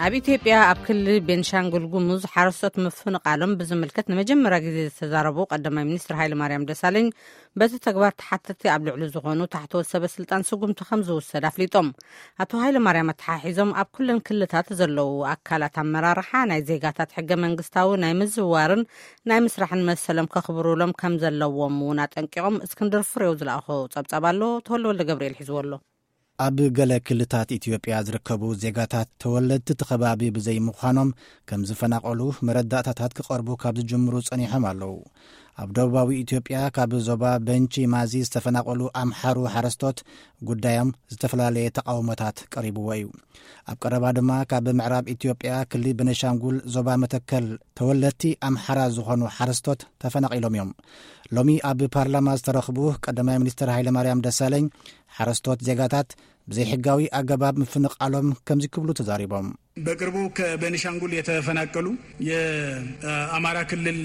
ኣብ ኢትዮጵያ ኣብ ክልል ቤንሻንጉል ጉሙዝ ሓረስቶት ምፍንቓሎም ብዝምልከት ንመጀመርያ ግዜ ዝተዛረቡ ቀዳማይ ሚኒስትር ሃይለማርያም ደሳለኝ፣ በዚ ተግባር ተሓተትቲ ኣብ ልዕሊ ዝኾኑ ታሕተዎት ሰበ ስልጣን ስጉምቲ ከም ዝውሰድ ኣፍሊጦም። ኣቶ ሃይለማርያም ኣተሓሒዞም፣ ኣብ ኩለን ክልታት ዘለዉ ኣካላት ኣመራርሓ ናይ ዜጋታት ሕገ መንግስታዊ ናይ ምዝዋርን ናይ ምስራሕን መሰሎም ከኽብሩሎም ከም ዘለዎም እውን ኣጠንቂቖም። እስክንድር ፍሬው ዝለኣኾ ጸብጻብ ኣሎ፣ ተወልደ ወልደ ገብርኤል ሒዝዎ ኣሎ። ኣብ ገለ ክልታት ኢትዮጵያ ዝርከቡ ዜጋታት ተወለድቲ እቲ ከባቢ ብዘይምዃኖም ከም ዝፈናቐሉ መረዳእታታት ክቐርቡ ካብ ዝጅምሩ ጸኒሖም ኣለዉ። ኣብ ደቡባዊ ኢትዮጵያ ካብ ዞባ በንቺ ማዚ ዝተፈናቐሉ ኣምሓሩ ሓረስቶት ጉዳዮም ዝተፈላለየ ተቓውሞታት ቀሪብዎ እዩ። ኣብ ቀረባ ድማ ካብ ምዕራብ ኢትዮጵያ ክልል ቤኒሻንጉል ዞባ መተከል ተወለድቲ ኣምሓራ ዝኾኑ ሓረስቶት ተፈናቒሎም እዮም። ሎሚ ኣብ ፓርላማ ዝተረኽቡ ቀዳማይ ሚኒስትር ሃይለማርያም ደሳለኝ፣ ሓረስቶት ዜጋታት ብዘይሕጋዊ ኣገባብ ምፍንቓሎም ከምዚ ክብሉ ተዛሪቦም። በቅርቡ ከቤኒሻንጉል የተፈናቀሉ የአማራ ክልል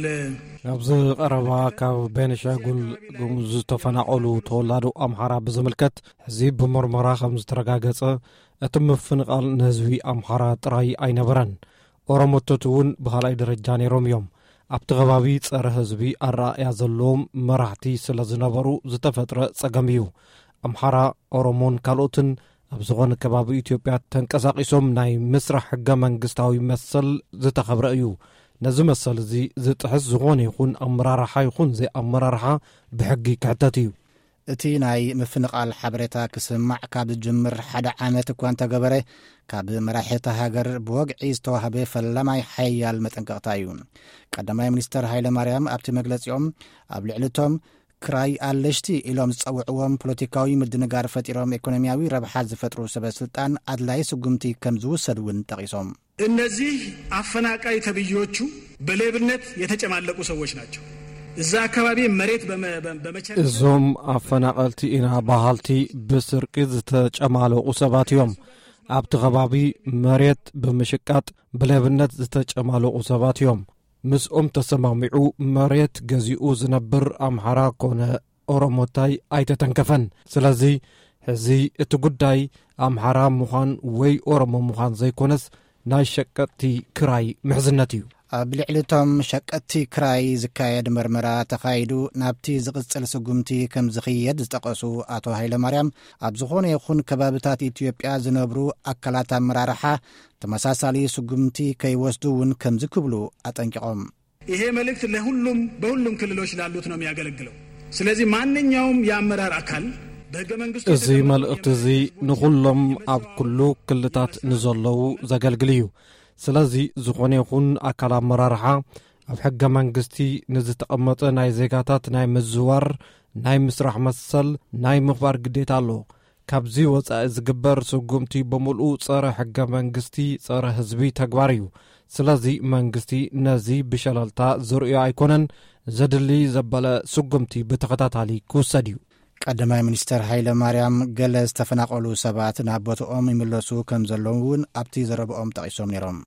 ኣብዚ ቀረባ ካብ ቤኒሻንጉል ጉሙዝ ዝተፈናቐሉ ተወላዶ ኣምሓራ ብዝምልከት፣ ሕዚ ብመርመራ ከም ዝተረጋገጸ፣ እቲ ምፍንቓል ንህዝቢ ኣምሓራ ጥራይ ኣይነበረን። ኦሮሞቶት እውን ብኻልኣይ ደረጃ ነይሮም እዮም። ኣብቲ ከባቢ ጸረ ህዝቢ ኣረኣእያ ዘለዎም መራሕቲ ስለ ዝነበሩ ዝተፈጥረ ጸገም እዩ። ኣምሓራ፣ ኦሮሞን ካልኦትን ኣብ ዝኾነ ከባቢ ኢትዮጵያ ተንቀሳቒሶም ናይ ምስራሕ ሕገ መንግስታዊ መሰል ዝተኸብረ እዩ። ነዚ መሰል እዚ ዝጥሕስ ዝኾነ ይኹን ኣመራርሓ ይኹን ዘይኣመራርሓ ብሕጊ ክሕተት እዩ። እቲ ናይ ምፍንቓል ሓበሬታ ክስማዕ ካብ ዝጅምር ሓደ ዓመት እኳ እንተገበረ፣ ካብ መራሒ እታ ሃገር ብወግዒ ዝተዋህበ ፈላማይ ሓያል መጠንቀቕታ እዩ። ቀዳማይ ሚኒስተር ሃይለማርያም ኣብቲ መግለጺኦም፣ ኣብ ልዕሊ እቶም ክራይ ኣለሽቲ ኢሎም ዝጸውዕዎም ፖለቲካዊ ምድንጋር ፈጢሮም ኢኮኖሚያዊ ረብሓ ዝፈጥሩ ሰበ ስልጣን ኣድላይ ስጉምቲ ከም ዝውሰድ እውን ጠቒሶም። እነዚህ አፈናቃይ ተብዮቹ በሌብነት የተጨማለቁ ሰዎች ናቸው። እዛ አካባቢ መሬት በመ- በመ- በመቸ- እዞም ኣፈናቐልቲ ኢና በሃልቲ ብስርቂ ዝተጨማለቑ ሰባት እዮም። ኣብቲ ከባቢ መሬት ብምሽቃጥ ብሌብነት ዝተጨማለቑ ሰባት እዮም። ምስኦም ተሰማሚዑ መሬት ገዚኡ ዝነብር ኣምሓራ ኮነ ኦሮሞታይ ኣይተተንከፈን። ስለዚ ሕዚ እቲ ጉዳይ ኣምሓራ ምዃን ወይ ኦሮሞ ምዃን ዘይኮነስ፣ ናይ ሸቀጥቲ ክራይ ምሕዝነት እዩ። ኣብ ልዕሊ እቶም ሸቀጥቲ ክራይ ዝካየድ መርመራ ተኻይዱ ናብቲ ዝቕጽል ስጉምቲ ከም ዝኽየድ ዝጠቐሱ ኣቶ ሃይለማርያም፣ ኣብ ዝኾነ ይኹን ከባብታት ኢትዮጵያ ዝነብሩ ኣካላት ኣመራርሓ ተመሳሳሊ ስጉምቲ ከይወስዱ እውን ከምዚ ክብሉ ኣጠንቂቖም። ይሄ መልእክት ለሁሉም በሁሉም ክልሎች ላሉት ነው የሚያገለግለው። ስለዚህ ማንኛውም የአመራር አካል በህገ መንግስቱ እዚ የተቀመጡ መልእኽቲ እዚ ንኹሎም ኣብ ኩሉ ክልታት ንዘለዉ ዘገልግል እዩ። ስለዚ ዝኾነ ይኹን ኣካል ኣመራርሓ ኣብ ሕገ መንግስቲ ንዝተቐመጠ ናይ ዜጋታት ናይ ምዝዋር ናይ ምስራሕ መሰል ናይ ምኽባር ግዴታ ኣለዎ። ካብዚ ወጻኢ ዝግበር ስጉምቲ ብምልኡ ጸረ ሕገ መንግስቲ፣ ጸረ ህዝቢ ተግባር እዩ። ስለዚ መንግስቲ ነዚ ብሸለልታ ዝርእዮ ኣይኮነን፣ ዘድሊ ዘበለ ስጉምቲ ብተኸታታሊ ክውሰድ እዩ። ቀዳማይ ሚኒስተር ሃይለ ማርያም፣ ገለ ዝተፈናቐሉ ሰባት ናብ ቦትኦም ይምለሱ ከም ዘለዉ እውን ኣብቲ ዘረብኦም ጠቒሶም ነይሮም።